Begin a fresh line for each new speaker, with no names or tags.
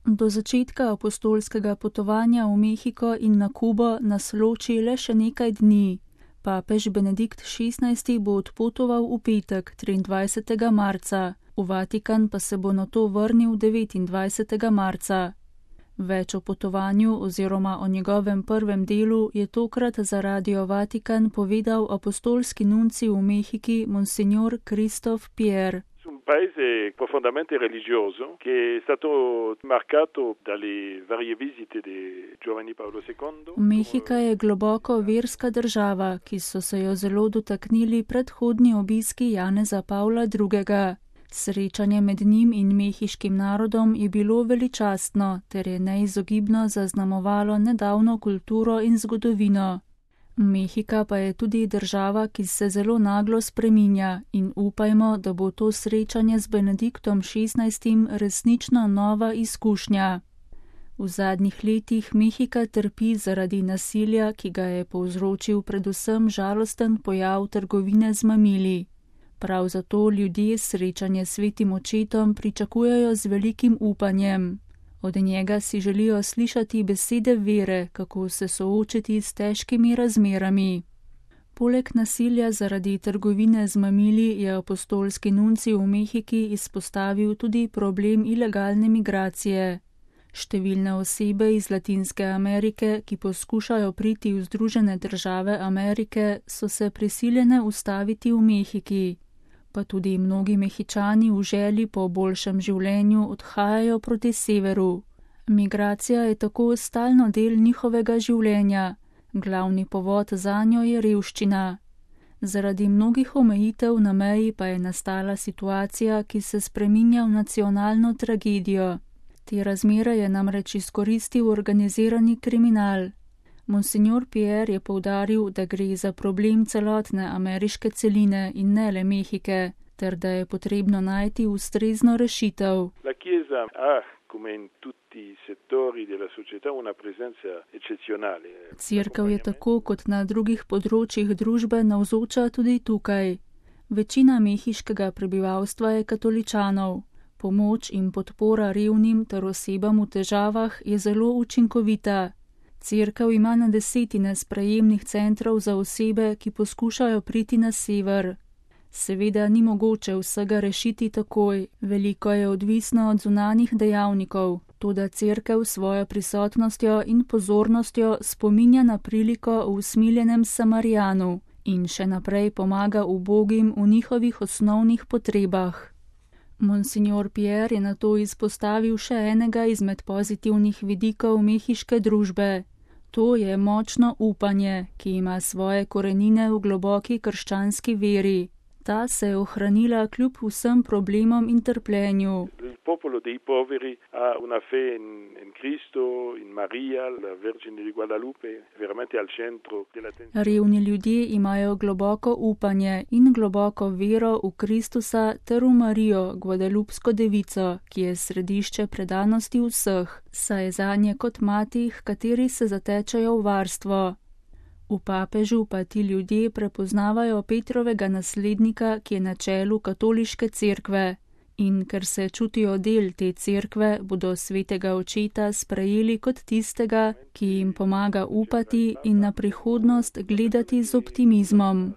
Do začetka apostolskega potovanja v Mehiko in na Kubo nas loči le še nekaj dni. Papež Benedikt XVI bo odpotoval v petek, 23. marca, v Vatikan pa se bo nato vrnil 29. marca. Več o potovanju oziroma o njegovem prvem delu je tokrat za Radio Vatikan povedal apostolski nuncij v Mehiki Monsignor Christophe Pierre.
Un paese profondamente religioso che è stato marcato dalle varie visite di Giovanni Paolo II.
Mehika je globoko verska država, ki so se jo zelo dotaknili predhodni obiski Janeza Pavla II. Srečanje med njim in mehiškim narodom je bilo veličastno ter je neizogibno zaznamovalo nedavno kulturo in zgodovino. Mehika pa je tudi država, ki se zelo naglo spreminja in upajmo, da bo to srečanje z Benediktom XVI. Resnično nova izkušnja. V zadnjih letih Mehika trpi zaradi nasilja, ki ga je povzročil predvsem žalosten pojav trgovine z mamili. Prav zato ljudje srečanje s svetim očetom pričakujejo z velikim upanjem. Od njega si želijo slišati besede vere, kako se soočiti s težkimi razmerami. Poleg nasilja zaradi trgovine z mamili je apostolski nuncij v Mehiki izpostavil tudi problem ilegalne migracije. Številne osebe iz Latinske Amerike, ki poskušajo priti v Združene države Amerike, so se prisiljene ustaviti v Mehiki. Pa tudi mnogi Mehičani v želji po boljšem življenju odhajajo proti severu. Migracija je tako stalno del njihovega življenja. Glavni povod zanjo je revščina. Zaradi mnogih omejitev na meji pa je nastala situacija, ki se spreminja v nacionalno tragedijo. Te razmere je namreč izkoristil organizirani kriminal. Monsignor Pierre je poudaril, da gre za problem celotne ameriške celine in ne le Mehike, ter da je potrebno najti ustrezno rešitev.
La Chiesa ha, come in tutti i settori della società, una presenza eccezionale.
Cerkev je tako kot na drugih področjih družbe navzoča tudi tukaj. Večina mehiškega prebivalstva je katoličanov. Pomoč in podpora revnim ter osebam v težavah je zelo učinkovita. Cerkev ima na desetine sprejemnih centrov za osebe, ki poskušajo priti na sever. Seveda ni mogoče vsega rešiti takoj, veliko je odvisno od zunanjih dejavnikov, toda cerkev s svojo prisotnostjo in pozornostjo spominja na priliko v usmiljenem Samarijanu in še naprej pomaga ubogim v njihovih osnovnih potrebah. Monsignor Pierre je nato izpostavil še enega izmed pozitivnih vidikov mehiške družbe. To je močno upanje, ki ima svoje korenine v globoki krščanski veri. Ta se je ohranila kljub vsem problemom in trpljenju.
Popolo dei poveri ha una fe in Cristo, in Maria, la Vergine di Guadalupe, veramente al centro dell'attenzione.
Revni ljudje imajo globoko upanje in globoko vero v Kristusa ter v Marijo, Guadalupsko devico, ki je središče predanosti vseh, saj je zanje kot mati, h kateri se zatečejo v varstvo. V papežu pa ti ljudje prepoznavajo Petrovega naslednika, ki je na čelu katoliške cerkve. In ker se čutijo del te cerkve, bodo svetega očeta sprejeli kot tistega, ki jim pomaga upati in na prihodnost gledati z optimizmom.